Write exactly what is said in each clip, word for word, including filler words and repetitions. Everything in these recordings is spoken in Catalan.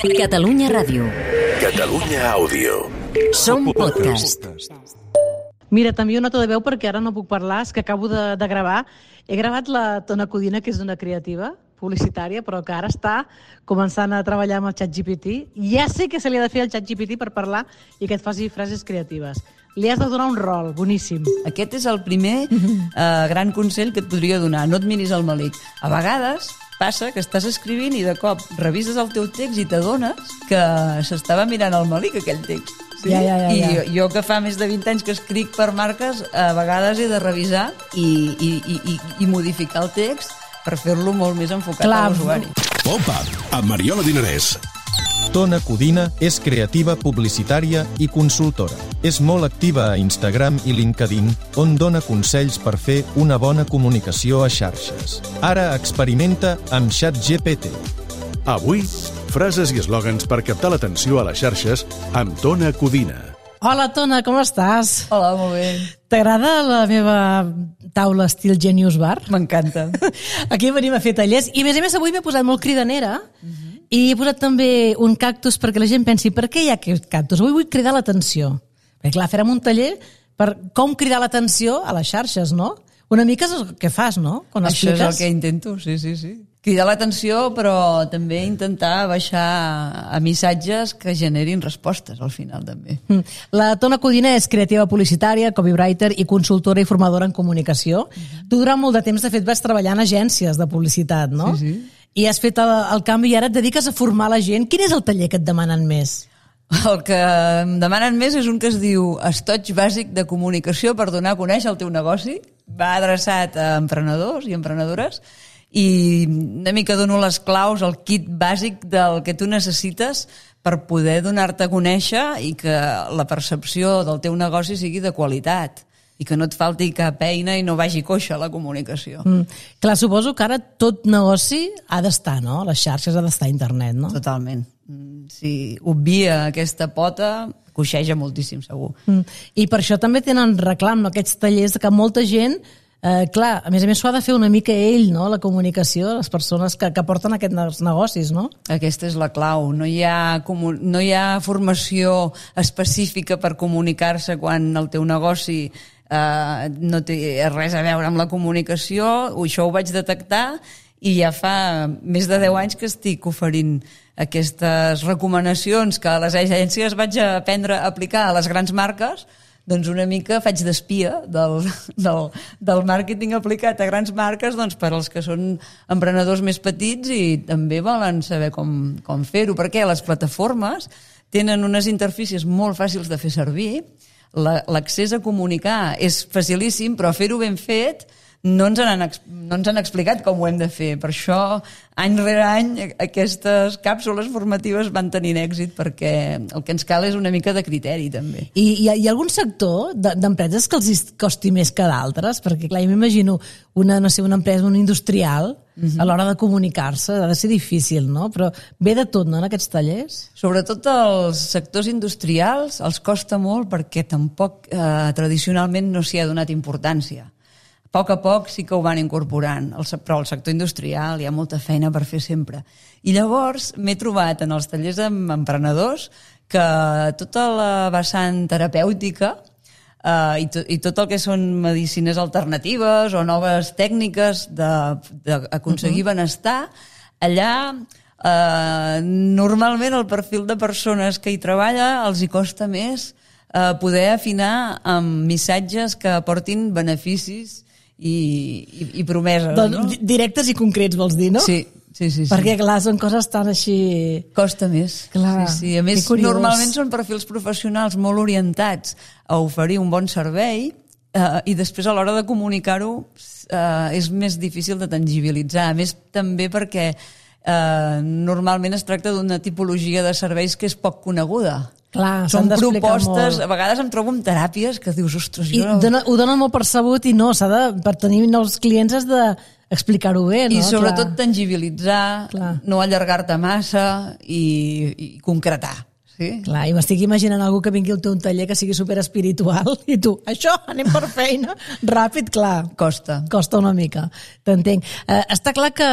Catalunya Ràdio. Catalunya Àudio. Som podcast. Mira, també una nota de veu perquè ara no puc parlar, és que acabo de, de gravar. He gravat la Tona Codina, que és una creativa publicitària, però que ara està començant a treballar amb el ChatGPT. Ja sé que se li ha de fer al ChatGPT per parlar i que et faci frases creatives. Li has de donar un rol, boníssim. Aquest és el primer eh, gran consell que et podria donar. No et miris el melic. A vegades passa que estàs escrivint i de cop revises el teu text i t'adones que s'estava mirant el melic, aquell text. Sí? Ja, ja, ja, I ja. jo, jo que fa més de vint anys que escric per marques, a vegades he de revisar i, i, i, i, i modificar el text per fer-lo molt més enfocat Clar. a l'usuari. Pop-up, amb Mariola Dinarès. Tona Codina és creativa publicitària i consultora. És molt activa a Instagram i LinkedIn, on dona consells per fer una bona comunicació a xarxes. Ara experimenta amb ChatGPT. Avui, frases i eslògans per captar l'atenció a les xarxes amb Tona Codina. Hola, Tona, com estàs? Hola, molt bé. T'agrada la meva taula estil Genius Bar? M'encanta. Aquí venim a fer tallers i, a més a més, avui m'he posat molt cridanera uh-huh. i he posat també un cactus perquè la gent pensi per què hi ha aquest cactus? Avui vull cridar l'atenció. Perquè, clar, farem un taller per com cridar l'atenció a les xarxes, no? Una mica és el que fas, no? Quan Això expliques. és el que intento, sí, sí, sí. Cridar l'atenció, però també intentar baixar a missatges que generin respostes al final, també. La Tona Codina és creativa publicitària, copywriter i consultora i formadora en comunicació. Uh-huh. Tu durant molt de temps, de fet, vas treballar en agències de publicitat, no? Sí, sí. I has fet el, el canvi i ara et dediques a formar la gent. Quin és el taller que et demanen més? El que em demanen més és un que es diu Estoig bàsic de comunicació per donar a conèixer el teu negoci. Va adreçat a emprenedors i emprenedores i una mica dono les claus, el kit bàsic del que tu necessites per poder donar-te a conèixer i que la percepció del teu negoci sigui de qualitat i que no et falti cap eina i no vagi coixa la comunicació. Mm. Clar, suposo que ara tot negoci ha d'estar, no? Les xarxes ha d'estar a internet, no? Totalment. Si obvia aquesta pota, coixeja moltíssim, segur. Mm. I per això també tenen reclam, no? Aquests tallers que molta gent, eh, clar, a més a més s'ho ha de fer una mica ell, no? La comunicació, les persones que, que porten aquests negocis, no? Aquesta és la clau. No hi ha, no hi ha formació específica per comunicar-se quan el teu negoci eh, no té res a veure amb la comunicació. Això ho vaig detectar i ja fa més de deu anys que estic oferint aquestes recomanacions que a les agències vaig aprendre a aplicar a les grans marques. Doncs una mica faig d'espia del, del, del màrqueting aplicat a grans marques, doncs per als que són emprenedors més petits i també volen saber com, com fer-ho, perquè les plataformes tenen unes interfícies molt fàcils de fer servir, la, l'accés a comunicar és facilíssim, però fer-ho ben fet no ens, han, no ens han explicat com ho hem de fer. Per això, any rere any, aquestes càpsules formatives van tenint èxit perquè el que ens cal és una mica de criteri, també. I hi ha, hi ha algun sector d'empreses que els costi més que d'altres? Perquè, clar, jo m'imagino una, no sé, una empresa, una industrial, uh-huh. a l'hora de comunicar-se, ha de ser difícil, no? Però ve de tot, no?, en aquests tallers? Sobretot els sectors industrials els costa molt perquè tampoc eh, tradicionalment no s'hi ha donat importància. A poc a poc sí que ho van incorporant, però al sector industrial hi ha molta feina per fer sempre. I llavors m'he trobat en els tallers amb emprenedors que tota la vessant terapèutica eh, i, to, i tot el que són medicines alternatives o noves tècniques d'aconseguir uh-huh. benestar, allà eh, normalment el perfil de persones que hi treballa els hi costa més eh, poder afinar amb missatges que aportin beneficis I, i, i promeses, doncs, no? Directes i concrets, vols dir, no? Sí, sí, sí. Perquè, sí. clar, són coses tan així... Costa més. Clar, sí, sí. A més, normalment són perfils professionals molt orientats a oferir un bon servei eh, i després a l'hora de comunicar-ho eh, és més difícil de tangibilitzar. A més, també perquè eh, normalment es tracta d'una tipologia de serveis que és poc coneguda. Clar, són molt. propostes, a vegades em trobo amb teràpies que dius, ostres, jo... I dona, ho donen molt percebut i no, s'ha de, per tenir nous clients has d'explicar-ho bé, no? I sobretot Clar. tangibilitzar, Clar. no allargar-te massa i, i concretar. Sí. Clar, i m'estic imaginant algú que vingui al teu taller que sigui super espiritual i tu, això, anem per feina, ràpid, clar. Costa. Costa una mica, t'entenc. Eh, està clar que,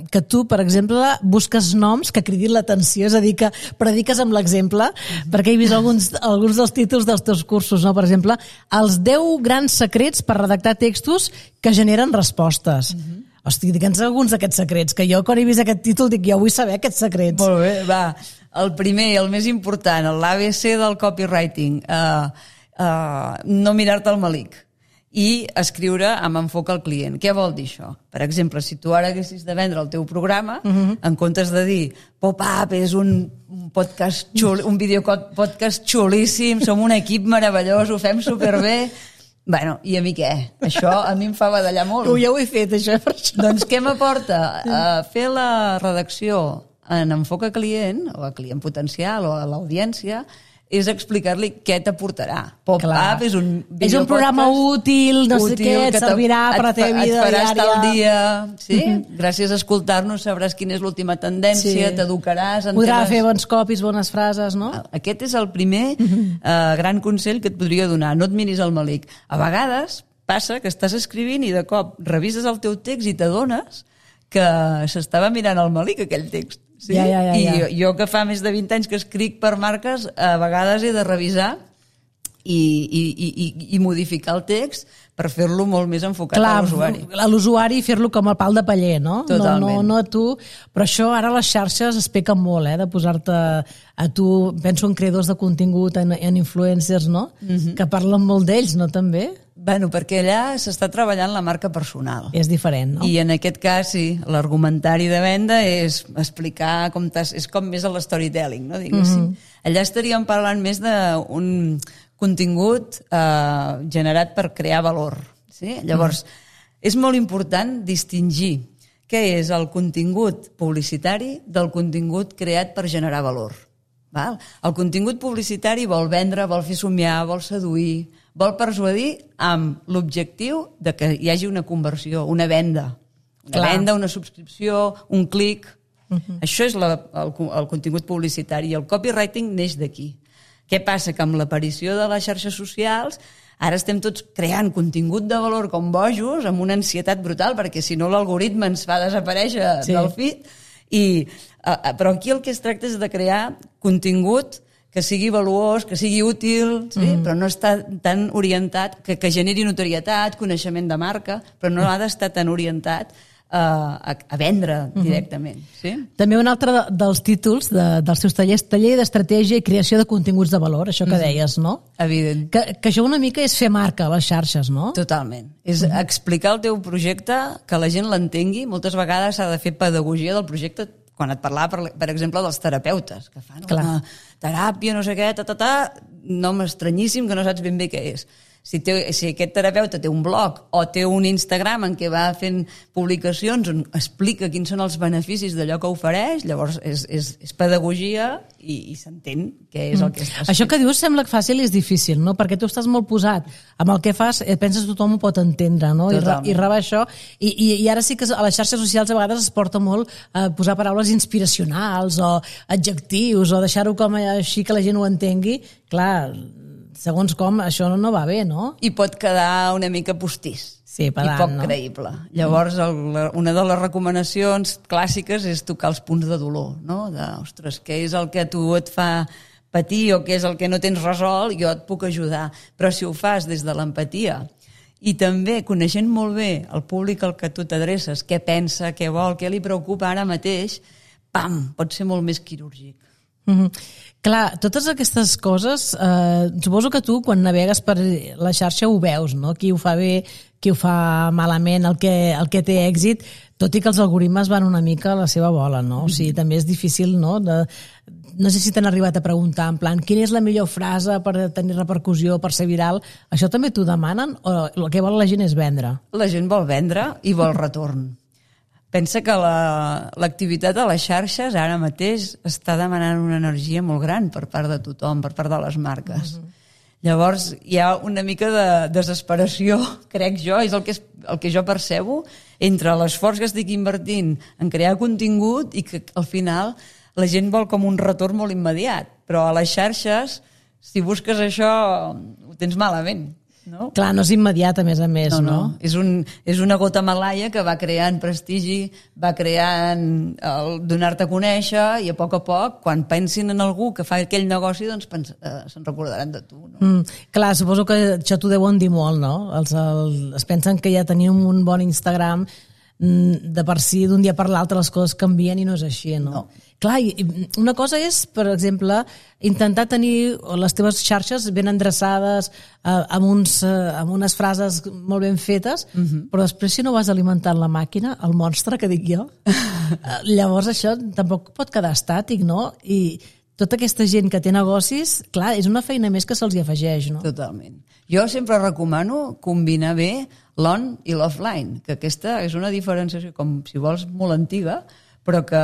que tu, per exemple, busques noms que cridin l'atenció, és a dir, que prediques amb l'exemple, mm-hmm. perquè he vist alguns, alguns dels títols dels teus cursos, no? Per exemple, els deu grans secrets per redactar textos que generen respostes. Mm-hmm. Hosti, digue'ns alguns d'aquests secrets, que jo quan he vist aquest títol dic, jo vull saber aquests secrets. Molt bé, va. El primer, el més important, l'A B C del copywriting, uh, uh, no mirar-te el melic i escriure amb enfoc al client. Què vol dir això? Per exemple, si tu ara haguessis de vendre el teu programa, uh-huh. en comptes de dir Pop-Up és un podcast xul, un videopodcast xulíssim, som un equip meravellós, ho fem superbé... Bueno, i a mi què? Això a mi em fa badallar molt. Jo ho he fet, això, per això. Doncs què m'aporta? Uh, fer la redacció en enfoc a client, o a client potencial, o a l'audiència, és explicar-li què t'aportarà. Pop-Up és un és un programa útil, no útil, sé què, et servirà per la teva vida diària. Et farà estar al dia, sí? Mm-hmm. Gràcies a escoltar-nos sabràs quina és l'última tendència, sí. T'educaràs... Podrà fer bons copis, bones frases, no? Aquest és el primer mm-hmm. uh, gran consell que et podria donar. No et miris el melic. A vegades passa que estàs escrivint i de cop revises el teu text i t'adones que s'estava mirant el melic, aquell text. Sí? Ja, ja, ja, ja. I jo, jo que fa més de vint anys que escric per marques, a vegades he de revisar i, i, i, i modificar el text per fer-lo molt més enfocat Clar, a l'usuari. A l'usuari fer-lo com el pal de paller, no? Totalment. No, no, no a tu. Però això ara les xarxes es pequen molt, eh? De posar-te a tu, penso en creadors de contingut, en, en influencers, no? Mm-hmm. Que parlen molt d'ells, no també? Bueno, perquè allà s'està treballant la marca personal. És diferent, no? I en aquest cas, sí, l'argumentari de venda és explicar com t'has... És com més a l'storytelling, no? Diguéssim. Mm-hmm. Allà estaríem parlant més d'un contingut eh, generat per crear valor. Sí? Llavors, mm-hmm. és molt important distingir què és el contingut publicitari del contingut creat per generar valor. Val? El contingut publicitari vol vendre, vol fer somiar, vol seduir, vol persuadir amb l'objectiu de que hi hagi una conversió, una venda. Una Clar. venda, una subscripció, un clic. Uh-huh. Això és la, el, el contingut publicitari. I el copywriting neix d'aquí. Què passa? Que amb l'aparició de les xarxes socials ara estem tots creant contingut de valor com bojos, amb una ansietat brutal, perquè si no l'algoritme ens fa desaparèixer sí. del feed. I, uh, però aquí el que es tracta és de crear contingut que sigui valuós, que sigui útil, sí? Mm. Però no està tan orientat, que, que generi notorietat, coneixement de marca, però no ha d'estar tan orientat uh, a, a vendre directament. Mm-hmm. Sí? També un altre de, dels títols de, dels seus tallers, taller d'estratègia i creació de continguts de valor, això que mm-hmm. deies, no? Evident. Que, que això una mica és fer marca a les xarxes, no? Totalment. És mm-hmm. explicar el teu projecte, que la gent l'entengui. Moltes vegades s'ha de fer pedagogia del projecte. Quan et parlava, per, per exemple, dels terapeutes, que fan Clar. una teràpia, no sé què, ta, ta, ta, nom estranyíssim que no saps ben bé què és. Si, té, si aquest terapeuta té un blog o té un Instagram en què va fent publicacions on explica quins són els beneficis d'allò que ofereix, llavors és, és, és pedagogia i, i s'entén què és el que estàs fent. Això que dius sembla fàcil i és difícil, no? Perquè tu estàs molt posat amb el que fas, penses que tothom ho pot entendre, no? I, i rebar això. I, i, I ara sí que a les xarxes socials a vegades es porta molt a posar paraules inspiracionals o adjectius o deixar-ho com així que la gent ho entengui. Clar, segons com, això no va bé, no? I pot quedar una mica postís. Sí, pedant, i poc no? creïble. Llavors, el, una de les recomanacions clàssiques és tocar els punts de dolor, no? De, ostres, què és el que a tu et fa patir o què és el que no tens resolt, jo et puc ajudar. Però si ho fas des de l'empatia i també coneixent molt bé el públic al que tu t'adreces, què pensa, què vol, què li preocupa ara mateix, pam, pot ser molt més quirúrgic. Mm-hmm. Clar, totes aquestes coses, eh, suposo que tu quan navegues per la xarxa ho veus, no? Qui ho fa bé, qui ho fa malament, el que, el que té èxit, tot i que els algoritmes van una mica a la seva bola, no? O sigui, també és difícil, no? De, no sé si t'han arribat a preguntar, en plan, quina és la millor frase per tenir repercussió, per ser viral? Això també t'ho demanen o el que vol la gent és vendre? La gent vol vendre i vol retorn. Pensa que l'activitat la, a les xarxes ara mateix està demanant una energia molt gran per part de tothom, per part de les marques. Uh-huh. Llavors hi ha una mica de desesperació, crec jo, és el que, és el que jo percebo, entre l'esforç que estic invertint en crear contingut i que al final la gent vol com un retorn molt immediat. però a les xarxes, si busques això, ho tens malament. No? Clar, no és immediat, a més a més, no? no? no. És, un, és una gota malaia que va creant prestigi, va creant el donar-te a conèixer, i a poc a poc, quan pensin en algú que fa aquell negoci, doncs pens, eh, se'n recordaran de tu. No? Mm, clar, suposo que això t'ho deuen dir molt, no? Els, el, es pensen que ja tenim un bon Instagram, de per si d'un dia per l'altre les coses canvien i no és així, no? no. Clar, una cosa és, per exemple, intentar tenir les teves xarxes ben endreçades, eh, amb, uns, eh, amb unes frases molt ben fetes, uh-huh. però després si no vas alimentant la màquina, el monstre que dic jo, llavors això tampoc pot quedar estàtic, no? I tota aquesta gent que té negocis, clar, és una feina més que se'ls hi afegeix, no? Totalment. Jo sempre recomano combinar bé l'on i l'offline, que aquesta és una diferenciació, com si vols, molt antiga, però que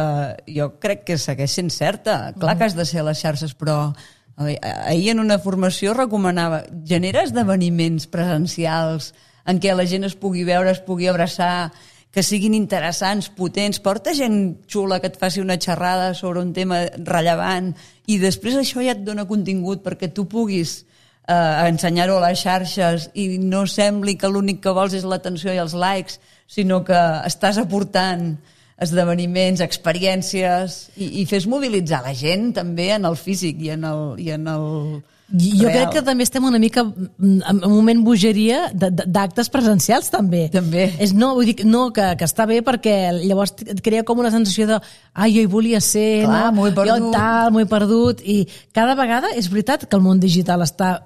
jo crec que segueix sent certa. Clar que has de ser a les xarxes, però ahir en una formació recomanava genera esdeveniments presencials en què la gent es pugui veure, es pugui abraçar, que siguin interessants, potents, porta gent xula que et faci una xerrada sobre un tema rellevant i després això ja et dona contingut perquè tu puguis eh, ensenyar-ho a les xarxes i no sembli que l'únic que vols és l'atenció i els likes, sinó que estàs aportant esdeveniments, experiències i, i fes mobilitzar la gent també en el físic i en el, i en el jo real. Crec que també estem una mica en un moment bogeria d'actes presencials també. També. És, no, vull dir, no que, que està bé perquè llavors et crea com una sensació de ai, jo hi volia ser, clar, no? m'ho he perdut. Jo tal, m'ho he perdut i cada vegada és veritat que el món digital està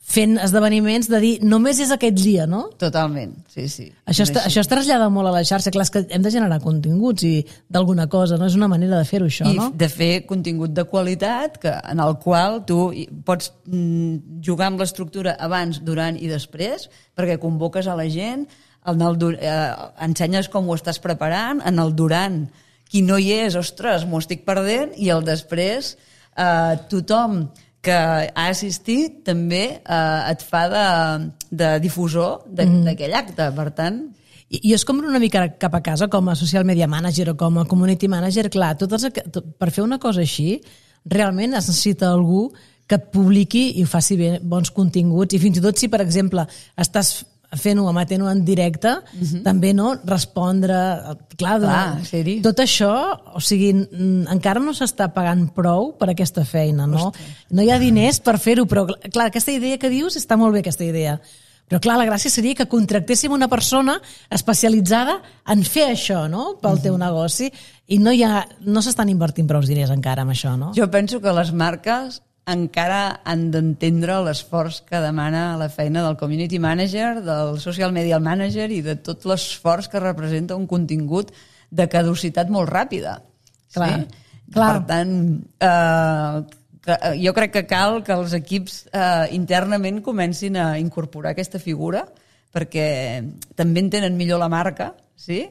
fent esdeveniments de dir només és aquest dia, no? Totalment, sí, sí. Això es, això es trasllada molt a la xarxa, clar, és que hem de generar continguts i d'alguna cosa, no? És una manera de fer-ho, això, I no? I de fer contingut de qualitat que, en el qual tu pots mm, jugar amb l'estructura abans, durant i després, perquè convoques a la gent, en el, eh, ensenyes com ho estàs preparant, en el durant, qui no hi és, ostres, m'ho estic perdent, i el després, eh, tothom que ha assistit també eh, et fa de, de difusor d'aquell acte, per tant... I, I és com una mica cap a casa, com a social media manager o com a community manager, clar, totes, per fer una cosa així, realment es necessita algú que et publiqui i faci bé bons continguts, i fins i tot si, per exemple, estàs fent-ho, emetent-ho en directe, uh-huh. també no respondre, clar, clar de, tot això, o sigui, encara no s'està pagant prou per aquesta feina, no? Ostres. No hi ha diners per fer-ho, però clar, aquesta idea que dius està molt bé, aquesta idea. Però clar, la gràcia seria que contractéssim una persona especialitzada en fer això, no?, pel uh-huh. teu negoci, i no hi ha, no s'estan invertint prou diners encara amb això, no? Jo penso que les marques encara han d'entendre l'esforç que demana la feina del community manager, del social media manager i de tot l'esforç que representa un contingut de caducitat molt ràpida. Clar, sí? clar. Per tant, eh, que, jo crec que cal que els equips eh, internament comencin a incorporar aquesta figura perquè també entenen millor la marca, sí?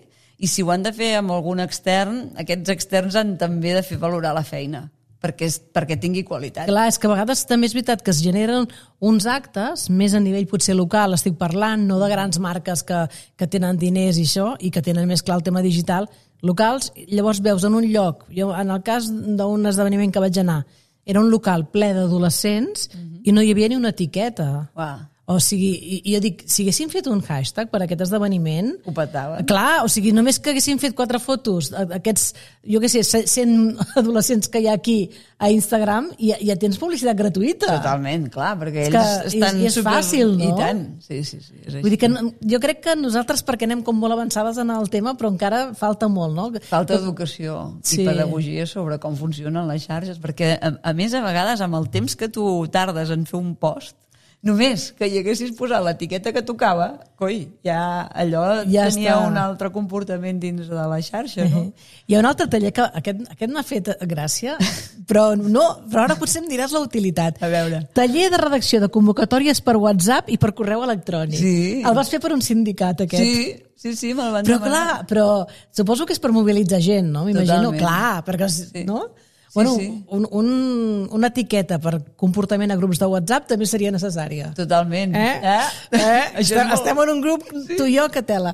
I si ho han de fer amb algun extern, aquests externs han també de fer valorar la feina. Perquè, és, perquè tingui qualitat. Clar, és que a vegades també és veritat que es generen uns actes, més a nivell potser local, estic parlant, no de grans marques que, que tenen diners i això, i que tenen més clar el tema digital, locals, llavors veus en un lloc, jo en el cas d'un esdeveniment que vaig anar, era un local ple d'adolescents uh-huh. i no hi havia ni una etiqueta. Uau. O sigui, i jo dic, si haguéssim fet un hashtag per aquest esdeveniment... Ho petaven. Clar, o sigui, només que haguéssim fet quatre fotos, aquests, jo què sé, cent adolescents que hi ha aquí a Instagram, i ja, ja tens publicitat gratuïta. Totalment, clar, perquè és ells que, estan... I, i és super... fàcil, no? I tant, sí, sí, sí. És Vull dir que jo crec que nosaltres, perquè anem com molt avançades en el tema, però encara falta molt, no? Falta educació sí. i pedagogia sobre com funcionen les xarxes, perquè, a, a més, a vegades, amb el temps que tu tardes en fer un post, només que hi haguessis posat l'etiqueta que tocava, coi, ja allò ja tenia està. Un altre comportament dins de la xarxa, no? Uh-huh. Hi ha un altre taller que aquest, aquest m'ha fet gràcia, però no, però ara potser em diràs la utilitat. A veure. Taller de redacció de convocatòries per WhatsApp i per correu electrònic. Sí. El vas fer per un sindicat, aquest. Sí, sí, sí, me'l van però, demanar. Clar, però suposo que és per mobilitzar gent, no? M'imagino, clar, perquè, sí. no? Bueno, sí. un, un, una etiqueta per comportament a grups de WhatsApp també seria necessària. Totalment. Eh? eh? eh? Això Estem, molt... estem en un grup, sí. Tu i jo, que tela.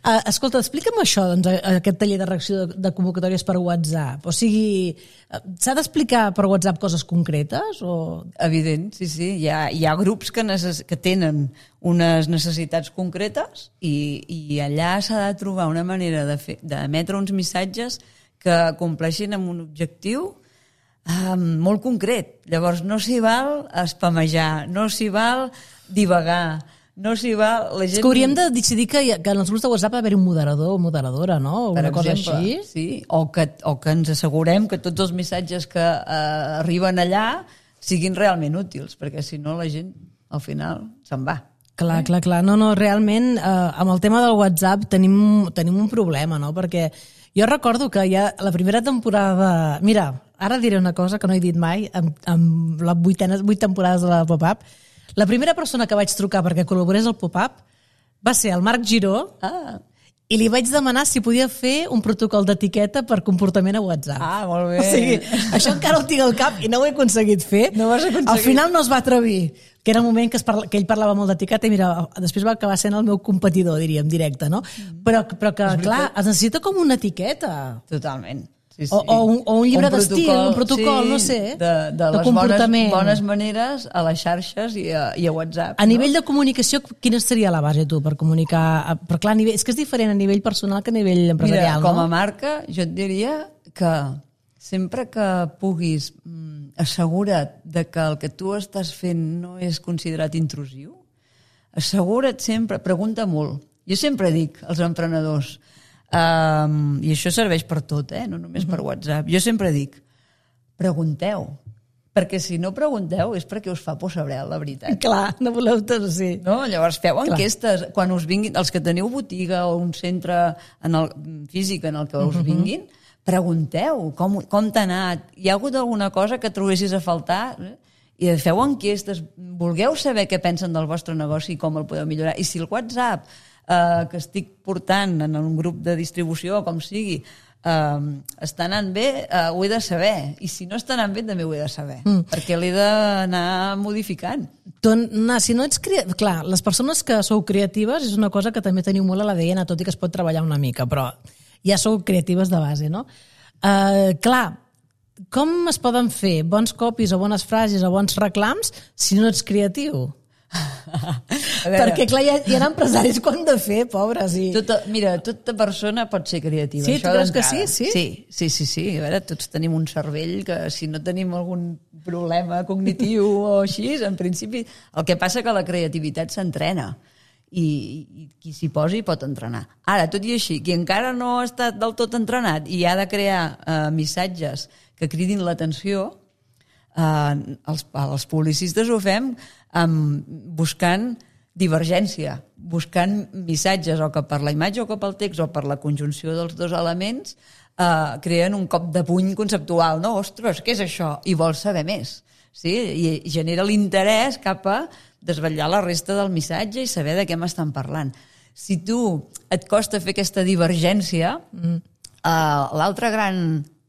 Uh, escolta, explica'm això, doncs, aquest taller de reacció de, de convocatòries per WhatsApp. O sigui, s'ha d'explicar per WhatsApp coses concretes? O... Evident, sí, sí. Hi ha, hi ha grups que, necess... que tenen unes necessitats concretes i, i allà s'ha de trobar una manera de fer, d'emetre uns missatges que compleixin amb un objectiu um, molt concret. Llavors, no s'hi val espamejar, no s'hi val divagar, no s'hi val... La gent... És que hauríem de decidir que, que en els grups de WhatsApp ha d'haver un moderador o moderadora, no? O per una cosa exemple, així. Sí, o que, o que ens assegurem que tots els missatges que uh, arriben allà siguin realment útils, perquè si no la gent, al final, se'n va. Clar, eh? clar, clar. No, no, realment, eh, amb el tema del WhatsApp tenim, tenim un problema, no? Perquè jo recordo que ja la primera temporada... Mira, ara diré una cosa que no he dit mai amb, amb les vuitenes, vuit temporades de la Pop-Up. La primera persona que vaig trucar perquè col·laborés al Pop-Up va ser el Marc Giró Ah. i li vaig demanar si podia fer un protocol d'etiqueta per comportament a WhatsApp. Ah, molt bé. O sigui, això encara ho tinc al cap i no ho he aconseguit fer. No ho has aconseguit. Al final no es va atrevir, que era un moment que, es parla, que ell parlava molt d'etiqueta i mira, després va acabar sent el meu competidor, diríem, directe, no? Però, però que, clar, es necessita com una etiqueta. Totalment. Sí, sí. O, o, un, o un llibre d'estil, un protocol, sí, no sé, de, de, de les comportament. bones, bones maneres a les xarxes i a, i a WhatsApp. A nivell de comunicació, quina seria la base, tu, per comunicar? Però clar, a nivell, és que és diferent a nivell personal que a nivell empresarial, Mira, com no? a marca, jo et diria que sempre que puguis mm, assegura't de que el que tu estàs fent no és considerat intrusiu, assegura't sempre, pregunta molt. Jo sempre dic als emprenedors, um, i això serveix per tot, eh? No només per WhatsApp, jo sempre dic, pregunteu, perquè si no pregunteu és perquè us fa por saber la veritat. Clar, no voleu tot, sí. No? Llavors feu Clar. enquestes, quan us vinguin, els que teniu botiga o un centre en el, físic en el que us vinguin, pregunteu com, com t'ha anat, hi ha hagut alguna cosa que trobessis a faltar, eh? I feu enquestes, vulgueu saber què pensen del vostre negoci i com el podeu millorar. I si el WhatsApp eh, que estic portant en un grup de distribució, com sigui, eh, està anant bé, eh, ho he de saber. I si no està anant bé, també ho he de saber. Mm. Perquè l'he d'anar modificant. Tona, si no ets crea... Clar, les persones que sou creatives és una cosa que també teniu molt a l'A D N, tot i que es pot treballar una mica, però ja sou creatives de base, no? Uh, clar, com es poden fer bons copis o bones frases o bons reclams si no ets creatiu? Perquè, clar, hi ha, hi ha empresaris que ho han de fer, pobres. I... Tota, mira, tota persona pot ser creativa. Sí, això tu creus que d'entrada. sí? Sí? Sí, sí, sí, sí. A veure, tots tenim un cervell que si no tenim algun problema cognitiu o així, en principi... El que passa que la creativitat s'entrena i, i qui s'hi posi pot entrenar. Ara, tot i així, qui encara no ha estat del tot entrenat i ha de crear eh, missatges que cridin l'atenció, eh, els, els publicistes ho fem amb, buscant divergència, buscant missatges o que per la imatge o que pel text o per la conjunció dels dos elements eh, creen un cop de puny conceptual, no? Ostres, què és això? I vols saber més. Sí? I genera l'interès cap a desvetllar la resta del missatge i saber de què m'estan parlant. Si tu et costa fer aquesta divergència, mm. eh, l'altre gran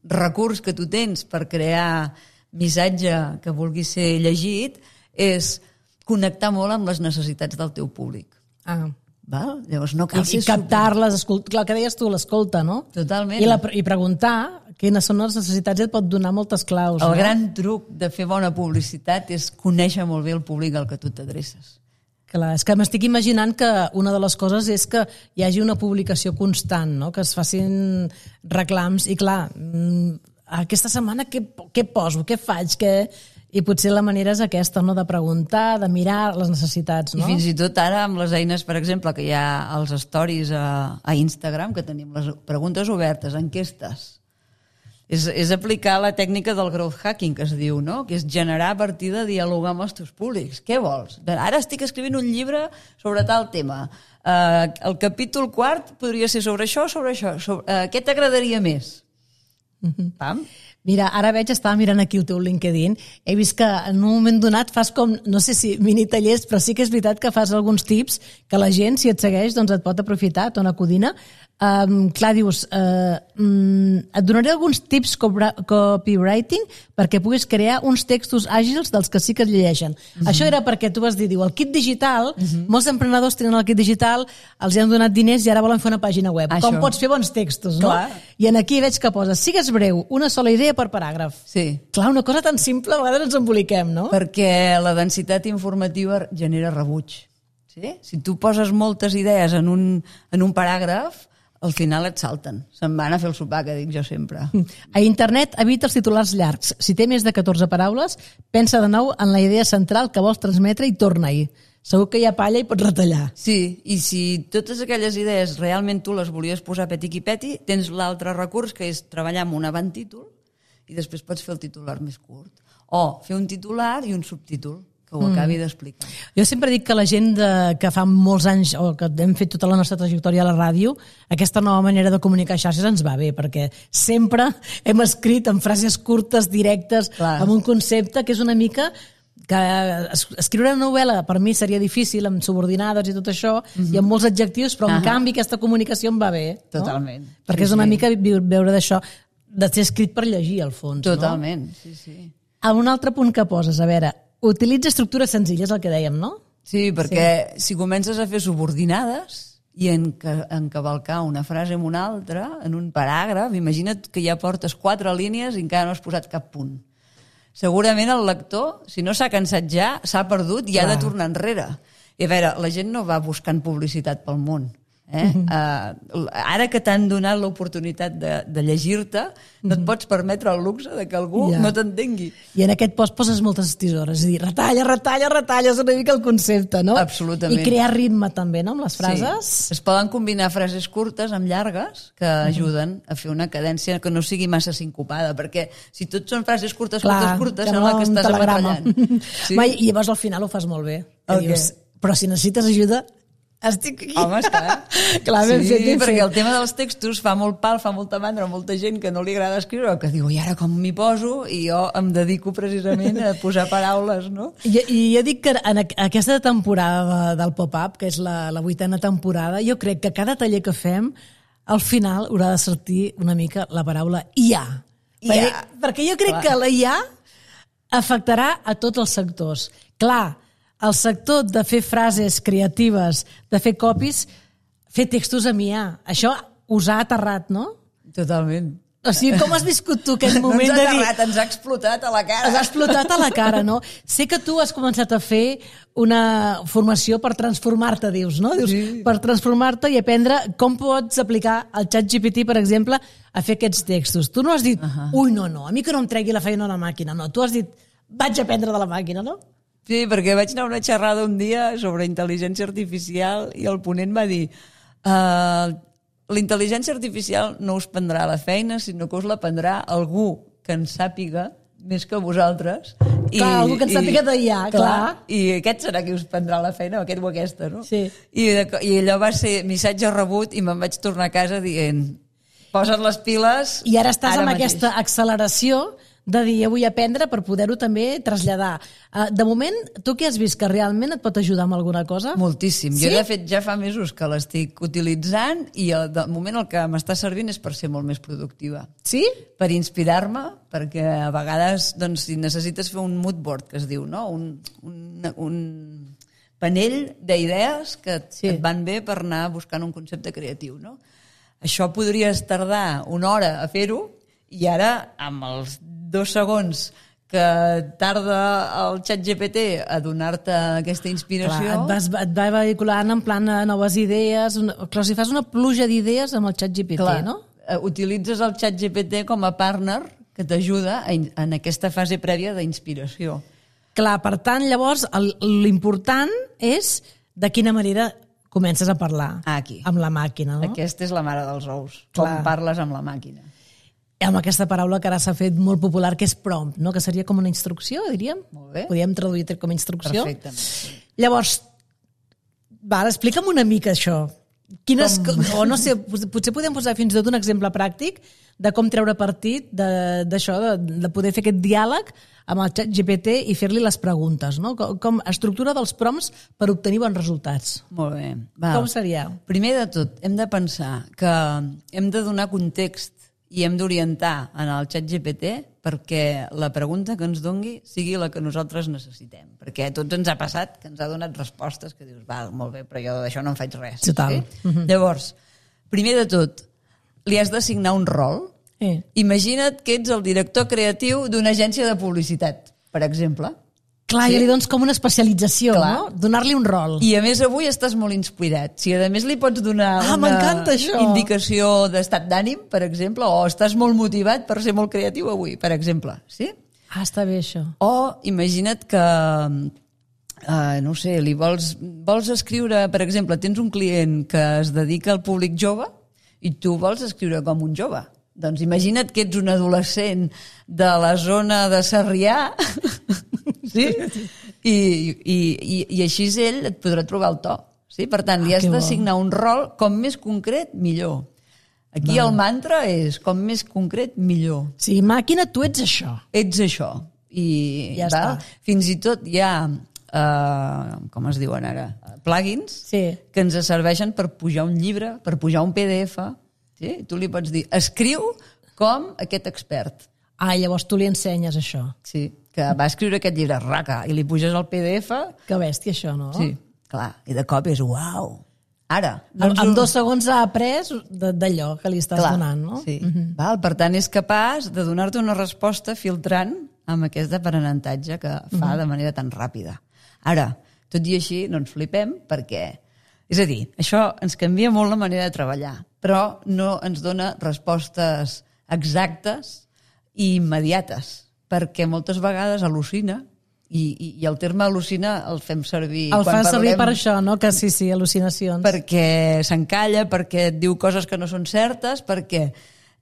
recurs que tu tens per crear missatge que vulgui ser llegit és connectar molt amb les necessitats del teu públic. Ah. Val? Llavors no cal I, ser i captar-les, escolt... clar, que deies tu, l'escolta, no? Totalment. I, la, I preguntar quines són les necessitats i et pot donar moltes claus. El no? gran truc de fer bona publicitat és conèixer molt bé el públic al que tu t'adreces. Clar, és que m'estic imaginant que una de les coses és que hi hagi una publicació constant, no? Que es facin reclams i clar, aquesta setmana què, què poso, què faig, què... I potser la manera és aquesta, no? De preguntar, de mirar les necessitats, no? I fins i tot ara amb les eines, per exemple, que hi ha als stories a, a Instagram, que tenim les preguntes obertes, enquestes. És, és aplicar la tècnica del growth hacking, que es diu, no? Que és generar a partir de dialogar amb els teus públics. Què vols? Ara estic escrivint un llibre sobre tal tema. Uh, el capítol quart podria ser sobre això o sobre això. Sobre, uh, què t'agradaria més? Mm-hmm. Pam? Mira, ara veig, estava mirant aquí el teu LinkedIn, he vist que en un moment donat fas com, no sé si mini tallers, però sí que és veritat que fas alguns tips que la gent, si et segueix, doncs et pot aprofitar, Tona Codina. Um, clar, dius, uh, um, et donaré alguns tips copywriting perquè puguis crear uns textos àgils dels que sí que es llegeixen. Uh-huh. Això era perquè tu vas dir, diu, el kit digital, uh-huh. molts emprenedors tenen el kit digital, els hi han donat diners i ara volen fer una pàgina web. Això. Com pots fer bons textos, no? Clar. I en aquí veig que poses, sigues breu, una sola idea per paràgraf. Sí. Clar, una cosa tan simple, a vegades ens emboliquem, no? Perquè la densitat informativa genera rebuig. Sí? Si tu poses moltes idees en un, en un paràgraf, al final et salten. Se'n van a fer el sopar, que dic jo sempre. A internet evita els titulars llargs. Si té més de catorze paraules, pensa de nou en la idea central que vols transmetre i torna-hi. Segur que hi ha palla i pots retallar. Sí, i si totes aquelles idees realment tu les volies posar peti-qui-peti, tens l'altre recurs, que és treballar amb un avant-títol, i després pots fer el titular més curt. O fer un titular i un subtítol, que ho acabi mm. d'explicar. Jo sempre dic que la gent de, que fa molts anys o que hem fet tota la nostra trajectòria a la ràdio, aquesta nova manera de comunicar xarxes ens va bé, perquè sempre hem escrit en frases curtes, directes, Clar. amb un concepte que és una mica que escriure una novel·la per mi seria difícil, amb subordinades i tot això, mm-hmm. i amb molts adjectius, però en uh-huh. canvi aquesta comunicació em va bé. Totalment. No? Perquè sí, és una sí. mica veure d'això, de ser escrit per llegir, al fons. Totalment, no? sí, sí. A un altre punt que poses, a veure, utilitza estructures senzilles, el que dèiem, no? Sí, perquè sí. si comences a fer subordinades i encavalcar una frase amb una altra, en un paràgraf, imagina't que ja portes quatre línies i encara no has posat cap punt. Segurament el lector, si no s'ha cansat ja, s'ha perdut i Clar. ha de tornar enrere. I a veure, la gent no va buscant publicitat pel món. Eh? Uh, ara que t'han donat l'oportunitat de, de llegir-te, no et pots permetre el luxe de que algú ja. no t'entengui. I en aquest post poses moltes tisores, és a dir, retalla, retalla, retalla, és una mica el concepte, no? Absolutament. I crear ritme també, no?, amb les frases. Sí. Es poden combinar frases curtes amb llargues que ajuden a fer una cadència que no sigui massa sincopada, perquè si tot són frases curtes, Clar, curtes, curtes, sembla que estàs ametrallant. Sí? Ma, I llavors al final ho fas molt bé. Okay. Dius, però si necessites ajuda, estic aquí. Home, està. Clar, ben sí, fet, ben perquè fet. el tema dels textos fa molt pal, fa molta mandra, molta gent que no li agrada escriure, que diu, i ara com m'hi poso? I jo em dedico precisament a posar paraules, no? I, i jo dic que en aquesta temporada del pop-up, que és la, la vuitena temporada, jo crec que cada taller que fem, al final haurà de sortir una mica la paraula I A. I A. Perquè, perquè jo crec Clar. que la I A afectarà a tots els sectors. Clar, el sector de fer frases creatives, de fer copies, fer textos amb I A. Això us ha aterrat, no? Totalment. O sigui, com has viscut tu aquest moment no de dir... No ens ha aterrat, ens ha explotat a la cara. Ens ha explotat a la cara, no? Sé que tu has començat a fer una formació per transformar-te, dius, no? Dius, sí. Per transformar-te i aprendre com pots aplicar el ChatGPT, per exemple, a fer aquests textos. Tu no has dit, uh-huh. ui, no, no, a mi que no em tregui la feina a la màquina, no. Tu has dit, vaig aprendre de la màquina, no? Sí, perquè vaig anar a una xerrada un dia sobre intel·ligència artificial i el ponent va dir uh, la intel·ligència artificial no us prendrà la feina, sinó que us la prendrà algú que en sàpiga més que vosaltres. I, clar, algú que en sàpiga d'I A, clar, clar. I aquest serà qui us prendrà la feina, aquest o aquesta, no? Sí. I, I allò va ser missatge rebut i me'n vaig tornar a casa dient posa't les piles. I ara estàs ara amb mateix. Aquesta acceleració de dir, jo vull aprendre per poder-ho també traslladar. De moment, tu què has vist? Que realment et pot ajudar amb alguna cosa? Moltíssim. Sí? Jo, de fet, ja fa mesos que l'estic utilitzant i de moment el que m'està servint és per ser molt més productiva. Sí? Per inspirar-me, perquè a vegades, doncs, si necessites fer un mood board, que es diu, no? Un, un, un panell d'idees que sí. et van bé per anar buscant un concepte creatiu, no? Això podries tardar una hora a fer-ho i ara, amb els dos segons que tarda el ChatGPT a donar-te aquesta inspiració... Clar, et, vas, et va vehiculant en plan noves idees, una, clar, si fas una pluja d'idees amb el ChatGPT, clar, no? Utilitzes el ChatGPT com a partner que t'ajuda en aquesta fase prèvia d'inspiració. Clar, per tant, llavors, l'important és de quina manera comences a parlar Aquí. amb la màquina, no? Aquesta és la mare dels ous, clar. com parles amb la màquina. Amb aquesta paraula que ara s'ha fet molt popular, que és prompt, no? Que seria com una instrucció, diríem. Molt bé. Podríem traduir com a instrucció. Perfectament. Sí. Llavors, va, explica'm una mica això. Quines, com... o no sé, potser podem posar fins i tot un exemple pràctic de com treure partit d'això, de, de, de poder fer aquest diàleg amb el xat G P T i fer-li les preguntes, no? Com, com estructura dels prompts per obtenir bons resultats. Molt bé. Va. Com seria? Primer de tot, hem de pensar que hem de donar context i hem d'orientar en el xat G P T perquè la pregunta que ens dongui sigui la que nosaltres necessitem. Perquè a tots ens ha passat que ens ha donat respostes que dius, va, molt bé, però jo d'això no en faig res. Total. Sí? Mm-hmm. Llavors, primer de tot, li has d'assignar un rol. Eh. Imagina't que ets el director creatiu d'una agència de publicitat, per exemple. Clar, sí? I li dones com una especialització, Clar. no? Donar-li un rol. I a més avui estàs molt inspirat. Si a més li pots donar ah, una això. indicació d'estat d'ànim, per exemple, o estàs molt motivat per ser molt creatiu avui, per exemple. Sí? Ah, està bé això. O imagina't que, uh, no sé, li vols, vols escriure, per exemple, tens un client que es dedica al públic jove i tu vols escriure com un jove. Doncs imagina't que ets un adolescent de la zona de Sarrià, sí? I, i, i, i així ell et podrà trobar el to. Sí? Per tant, li ah, has d'assignar un rol com més concret, millor. Aquí Va. el mantra és com més concret, millor. Sí, màquina, tu ets això. Ets això. I ja va, està. Fins i tot hi ha, uh, com es diuen ara, plugins sí. que ens serveixen per pujar un llibre, per pujar un P D F. Sí? Tu li pots dir, escriu com aquest expert. Ah, llavors tu li ensenyes això. Sí, que va escriure aquest llibre, raca, i li puges el P D F. Que bèstia això, no? Sí, clar, i de cop és uau. Ara. Doncs en, en dos segons ha après d'allò que li estàs clar, donant, no? Sí. Mm-hmm. Val, per tant, és capaç de donar-te una resposta filtrant amb aquest aprenentatge que fa mm-hmm. de manera tan ràpida. Ara, tot i així, no ens flipem perquè... És a dir, això ens canvia molt la manera de treballar, però no ens dona respostes exactes i immediates, perquè moltes vegades al·lucina, i, i, i el terme al·lucina el fem servir... El quan fa servir parlem, per això, no? Que sí, sí, al·lucinacions. Perquè s'encalla, perquè et diu coses que no són certes, perquè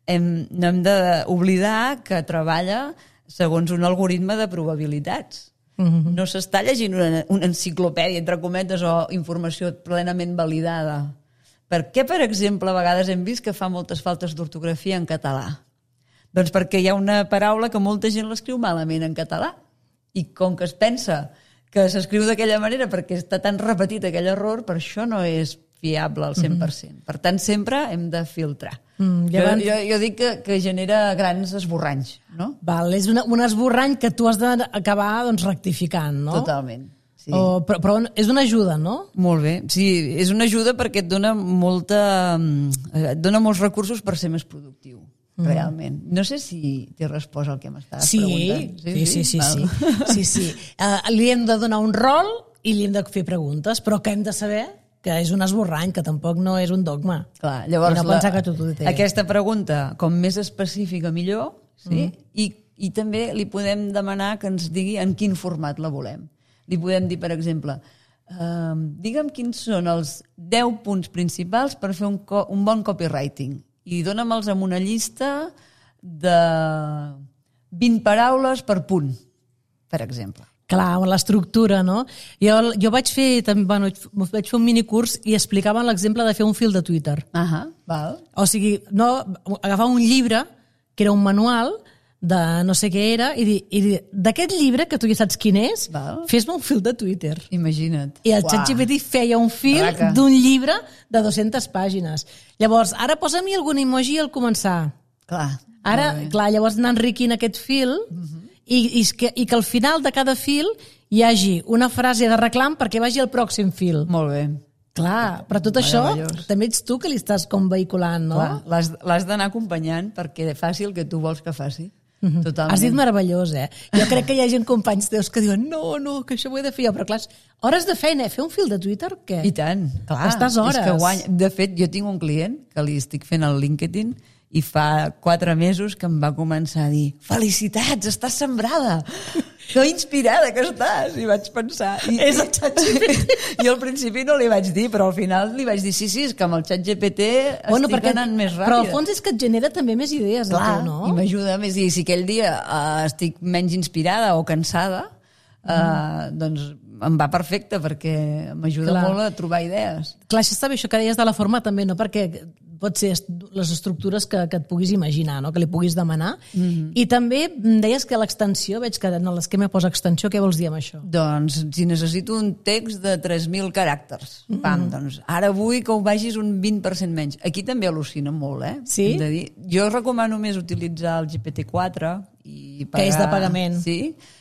hem, no hem d'oblidar que treballa segons un algoritme de probabilitats. Mm-hmm. No s'està llegint una, una enciclopèdia, entre cometes, o informació plenament validada. Per què, per exemple, a vegades hem vist que fa moltes faltes d'ortografia en català? Doncs perquè hi ha una paraula que molta gent l'escriu malament en català. I com que es pensa que s'escriu d'aquella manera perquè està tan repetit aquell error, per això no és fiable al cent per cent. Mm-hmm. Per tant, sempre hem de filtrar. Mm, jo, abans... jo, jo dic que, que genera grans esborranys, no? Val, és una, un esborrany que tu has d'acabar doncs, rectificant, no? Totalment. Sí. O, però, però és una ajuda, no? Molt bé. Sí, és una ajuda perquè et dona molta, et dona molts recursos per ser més productiu. Mm. Realment. No sé si t'he respost el que m'estaves sí, preguntant. Sí, sí, sí. sí, sí. sí, sí. Uh, li hem de donar un rol i li hem de fer preguntes, però que hem de saber que és un esborrany, que tampoc no és un dogma. Clar, llavors, no la, que tu té. aquesta pregunta, com més específica, millor, sí? Mm. I, i també li podem demanar que ens digui en quin format la volem. Li podem dir, per exemple, uh, digue'm quins són els deu punts principals per fer un, co un bon copywriting. I dóna'm-els amb una llista de vint paraules per punt, per exemple. Clar, l'estructura, no? Jo, jo vaig fer, també, bueno, vaig fer un minicurs i explicaven l'exemple de fer un fil de Twitter. Ahà, val. O sigui, no, agafar un llibre, que era un manual, de no sé què era, i dir, i dir d'aquest llibre, que tu ja saps quin és, fes-me un fil de Twitter. Imagina't. I el xat G P T feia un fil d'un llibre de dues-centes pàgines. Llavors, ara posa-m'hi algun emoji al començar. Clar. Ara, clar, llavors anar enriquint aquest fil uh-huh. i, i, que, i que al final de cada fil hi hagi una frase de reclam perquè vagi al pròxim fil. Molt bé. Clar, però tot això també ets tu que li estàs com vehiculant, no? L'has d'anar acompanyant perquè faci el que tu vols que faci. Totalment. Has dit meravellós, eh? Jo crec que hi ha gent, companys teus, que diuen no, no, que això ho he de fer jo, però clar, hores de feina, fer un fil de Twitter, què? I tant, clar. Estàs hores. És que guanya. De fet, jo tinc un client que li estic fent el LinkedIn i fa quatre mesos que em va començar a dir felicitats, estàs sembrada, que inspirada que estàs, i vaig pensar i, és el xat G P T. I al principi no li vaig dir, però al final li vaig dir sí, sí, és que amb el xat G P T bueno, estic perquè, anant més ràpida. Però al fons és que et genera també més idees. Clar, tu, no? I m'ajuda més. I si aquell dia uh, estic menys inspirada o cansada, uh, doncs em va perfecte perquè m'ajuda Clar. molt a trobar idees. Clar, això està bé, això que deies de la forma també, no? Perquè pot ser est- les estructures que, que et puguis imaginar, no? Que li puguis demanar. Mm-hmm. I també em deies que l'extensió, veig que en l'esquema posa extensió, què vols dir amb això? Doncs si necessito un text de tres mil caràcters, pam, mm-hmm. doncs ara vull que ho vagis un vint per cent menys. Aquí també al·lucina molt, eh? Sí? Hem de dir. Jo recomano més utilitzar el G P T quatre i pagar... Que és de pagament. Sí,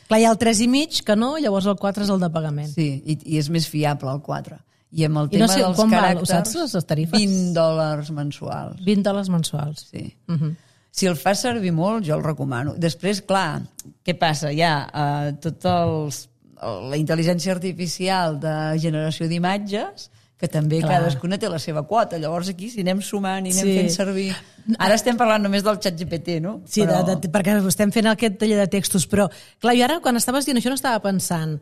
Clar, hi ha el tres i mig, que no, llavors el quatre és el de pagament. sí, i, i és més fiable el quatre. I amb el I tema no sé, dels quan val? caràcters... Ho saps, les tarifes? vint dòlars mensuals. vint dòlars mensuals. Sí. Uh -huh. Si el fas servir molt, jo el recomano. Després, clar, què passa? Hi ha uh, tot els, la intel·ligència artificial de generació d'imatges, que també Clar. cadascuna té la seva quota. Llavors aquí, si anem sumant i anem Sí. fent servir... Ara estem parlant només del xat G P T, no? Sí, Però... de, de, perquè estem fent aquest taller de textos, però clar, jo ara quan estaves dient això no estava pensant,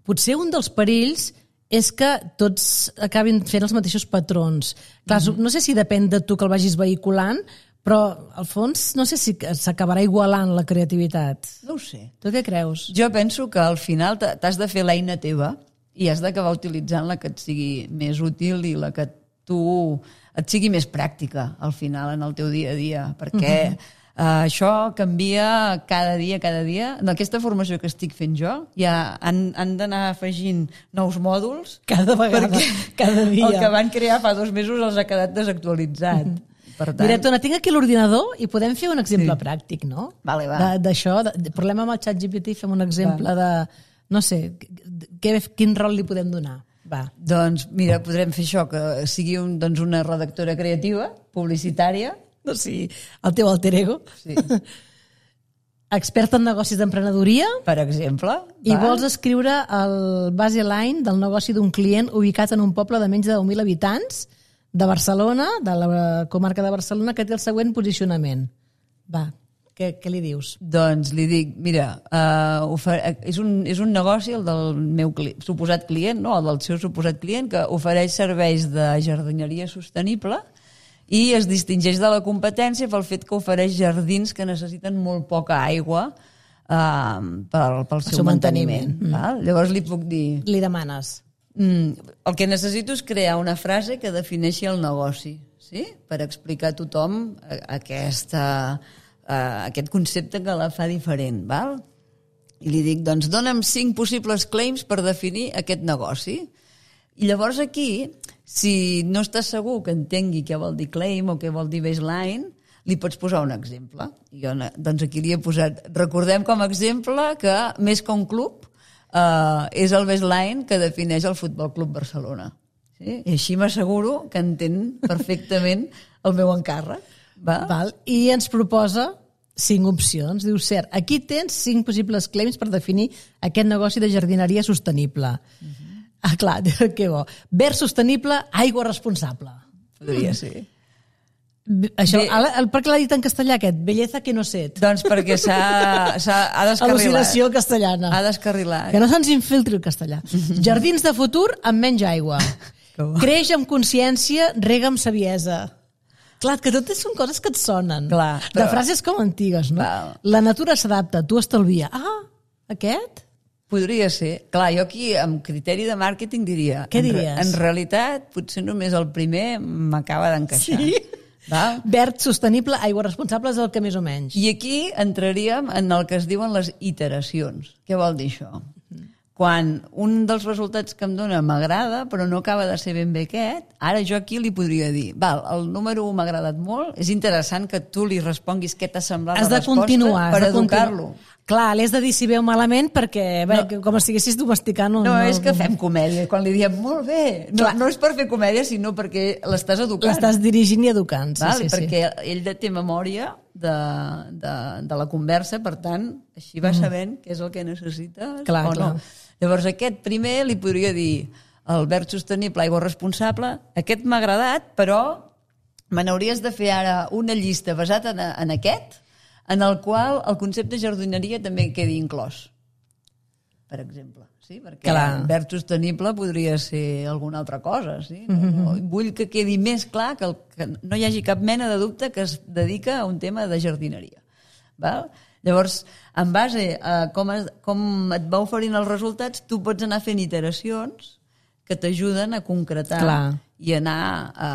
potser un dels perills és que tots acabin fent els mateixos patrons. Clar, mm-hmm. no sé si depèn de tu que el vagis vehiculant, però al fons no sé si s'acabarà igualant la creativitat. No ho sé. Tu què creus? Jo penso que al final t'ha- t'has de fer l'eina teva i has d'acabar utilitzant la que et sigui més útil i la que tu et sigui més pràctica al final en el teu dia a dia, perquè uh-huh. uh, això canvia cada dia, cada dia. En aquesta formació que estic fent jo ja han, han d'anar afegint nous mòduls Cada vegada, perquè cada dia. el que van crear fa dos mesos els ha quedat desactualitzat. Uh-huh. Per tant, Mira, Tona, tinc aquí l'ordinador i podem fer un exemple Sí. pràctic, no? Vale, va. De- D'això, de, de, parlem amb el xat G P T i fem un exemple de, no sé, què, quin rol li podem donar. Va. Doncs mira, podrem fer això, que sigui un, doncs una redactora creativa, publicitària. No, sí, el teu alter ego. Sí. Experta en negocis d'emprenedoria Per exemple. i va. vols escriure el baseline del negoci d'un client ubicat en un poble de menys de deu mil habitants de Barcelona, de la comarca de Barcelona, que té el següent posicionament. Va, què, què li dius? Doncs li dic, mira, uh, és, un, és un negoci, el del meu cli suposat client, no? El del seu suposat client, que ofereix serveis de jardineria sostenible i es distingeix de la competència pel fet que ofereix jardins que necessiten molt poca aigua uh, pel, pel seu, seu manteniment. manteniment. Val? Llavors li puc dir... Li demanes. Mm, el que necessito és crear una frase que defineixi el negoci, sí? Per explicar a tothom aquesta, uh, aquest concepte que la fa diferent. Val? I li dic, doncs dona'm cinc possibles claims per definir aquest negoci. I llavors aquí, si no estàs segur que entengui què vol dir claim o què vol dir baseline, li pots posar un exemple. I jo, doncs aquí li he posat, recordem com a exemple que més que un club uh, és el baseline que defineix el Futbol Club Barcelona. Sí? I així m'asseguro que entén perfectament el meu encàrrec. Va? Val? I ens proposa cinc opcions. Diu, cert, aquí tens cinc possibles claims per definir aquest negoci de jardineria sostenible. Uh-huh. Ah, clar, que bo. Verd sostenible, aigua responsable. Podria ser. Això, Bé. el, el, per què l'ha dit en castellà aquest? Belleza que no set. Doncs perquè s'ha ha descarrilat. Al·lucinació castellana. Ha descarrilat. Que no se'ns infiltri el castellà. Jardins de futur amb menys aigua. Creix amb consciència, rega amb saviesa. Clar, que totes són coses que et sonen. Clar, però... però- De frases com antigues, no? Val. La natura s'adapta, tu estalvia. Ah, aquest? Podria ser. Clar, jo aquí, amb criteri de màrqueting, diria... Què en re- diries? En realitat, potser només el primer m'acaba d'encaixar. Sí? Val? Verd, sostenible, aigua responsable és el que més o menys. I aquí entraríem en el que es diuen les iteracions. Què vol dir això? Quan un dels resultats que em dona m'agrada, però no acaba de ser ben bé aquest, ara jo aquí li podria dir, val, el número un m'ha agradat molt, és interessant que tu li responguis què t'ha semblat Has la de resposta continuar. has per de continuar. educar-lo. Clar, l'has de dir si veu malament perquè, bé, No. que com si estiguessis domesticant un... No, és que fem comèdia. Quan li diem, molt bé, no, Clar. no és per fer comèdia, sinó perquè l'estàs educant. L'estàs dirigint i educant. Sí, Val? sí, I sí. perquè ell té memòria de, de, de la conversa, per tant, així va sabent què és el que necessites Clar, o clar. no. Llavors aquest primer li podria dir el verd sostenible, aigua responsable, aquest m'ha agradat, però me n'hauries de fer ara una llista basat en, en aquest, en el qual el concepte jardineria també quedi inclòs, per exemple. Sí? Perquè Clar. verd sostenible podria ser alguna altra cosa. Sí? No, no, vull que quedi més clar que, el, que no hi hagi cap mena de dubte que es dedica a un tema de jardineria. Val? Llavors, en base a com, es, com et va oferint els resultats, tu pots anar fent iteracions que t'ajuden a concretar Clar. i anar a,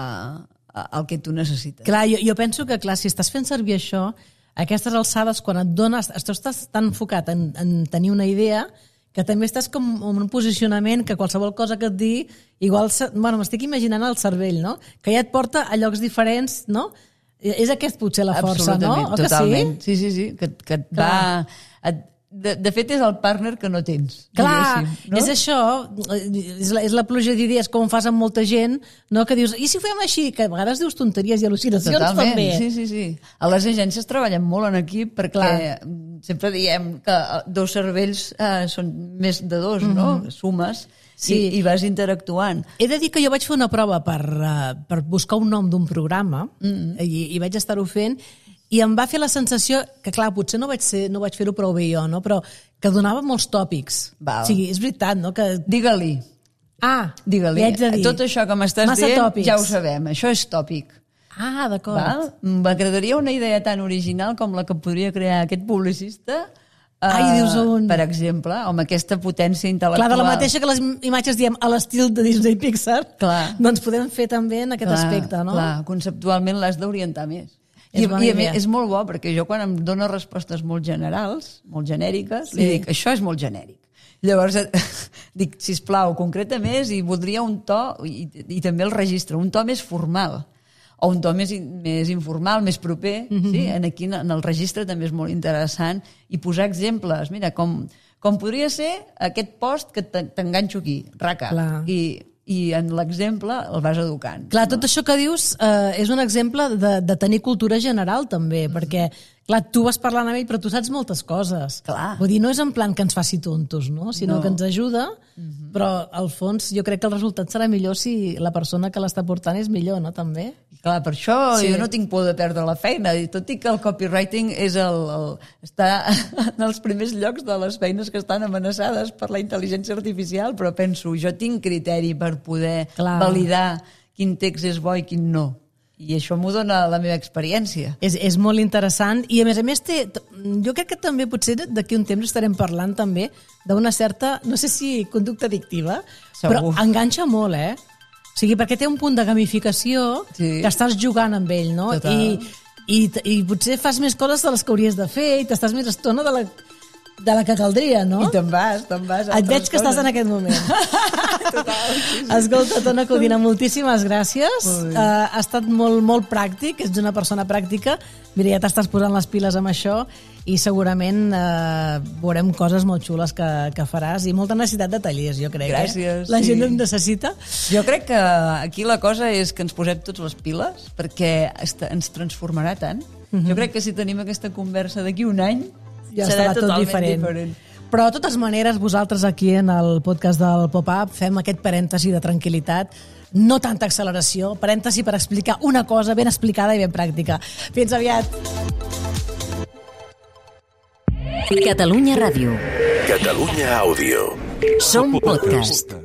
a, al que tu necessites. Clar, jo, jo penso que, clar, si estàs fent servir això, a aquestes alçades, quan et dones... Estàs tan enfocat en, en tenir una idea que també estàs com en un posicionament que qualsevol cosa que et digui, igual, bueno, m'estic imaginant el cervell, no? Que ja et porta a llocs diferents, no? És aquest potser la força, no? O totalment. Que sí? Sí, sí, sí, que, que et va... Et, de, de fet, és el partner que no tens. Clar, no? És això, és la, és la pluja d'idees, com fas amb molta gent, no? Que dius, i si ho fem així? Que a vegades dius tonteries i al·lucinacions Totalment, també. sí, sí, sí. A les agències treballem molt en equip perquè Clar. sempre diem que dos cervells eh, són més de dos, mm-hmm. no? Sumes sí. i, i vas interactuant. He de dir que jo vaig fer una prova per, uh, per buscar un nom d'un programa mm-hmm. i, i vaig estar-ho fent i em va fer la sensació que, clar, potser no vaig, ser, no vaig fer-ho prou bé jo, no? Però que donava molts tòpics. Val. O sigui, és veritat, no? Que... Digue-li. Ah, Digue-li. li haig de dir. Tot això que m'estàs Massa dient tòpics. ja ho sabem. Això és tòpic. Ah, d'acord. M'agradaria una idea tan original com la que podria crear aquest publicista. Ai, dius un... Per exemple, amb aquesta potència intel·lectual. Clar, de la mateixa que les imatges diem a l'estil de Disney Pixar, clar. doncs podem fer també en aquest clar, aspecte, no? Clar, conceptualment l'has d'orientar més. I, i a més, és molt bo, perquè jo quan em dono respostes molt generals, molt genèriques, sí. li dic, això és molt genèric. Llavors dic, sisplau, concreta més i voldria un to, i, i també el registre, un to més formal, o un to més, més informal, més proper, mm-hmm. sí? En aquí en el registre també és molt interessant, i posar exemples, mira, com, com podria ser aquest post que t'enganxo aquí, raca, Clar. i... i en l'exemple el vas educant. Clar, no? tot això que dius eh, és un exemple de, de tenir cultura general també, mm-hmm. perquè clar, tu vas parlant amb ell però tu saps moltes coses. Clar. Vull dir, no és en plan que ens faci tontos, no? Sinó no. que ens ajuda, mm-hmm. però al fons jo crec que el resultat serà millor si la persona que l'està portant és millor, no? També. Clar, per això sí. jo no tinc por de perdre la feina, i tot i que el copywriting és el, el, està en els primers llocs de les feines que estan amenaçades per la intel·ligència artificial, però penso, jo tinc criteri per poder Clar. validar quin text és bo i quin no. I això m'ho dona la meva experiència. És, és molt interessant i a més a més té, jo crec que també potser d'aquí un temps estarem parlant també d'una certa, no sé si conducta addictiva, Segur. però enganxa molt, eh? O sigui, perquè té un punt de gamificació sí. que estàs jugant amb ell, no? I, i, I potser fas més coses de les que hauries de fer i t'estàs més estona de la, de la que caldria, no? I te'n vas, te'n vas. Et veig que coses. Estàs en aquest moment. Total, sí, sí. Escolta, Tona Codina, moltíssimes gràcies. Uh, ha estat molt, molt pràctic, ets una persona pràctica. Mira, ja t'estàs posant les piles amb això i segurament uh, veurem coses molt xules que, que faràs i molta necessitat de tallers, jo crec. Gràcies. Eh? La sí. gent en necessita. Jo crec que aquí la cosa és que ens posem tots les piles perquè ens transformarà tant. Uh-huh. Jo crec que si tenim aquesta conversa d'aquí un any ja serà tot totalment diferent. diferent. Però de totes maneres, vosaltres aquí en el podcast del Pop-Up fem aquest parèntesi de tranquil·litat, no tanta acceleració, parèntesi per explicar una cosa ben explicada i ben pràctica. Fins aviat! Catalunya Ràdio. Catalunya Àudio. Som podcast.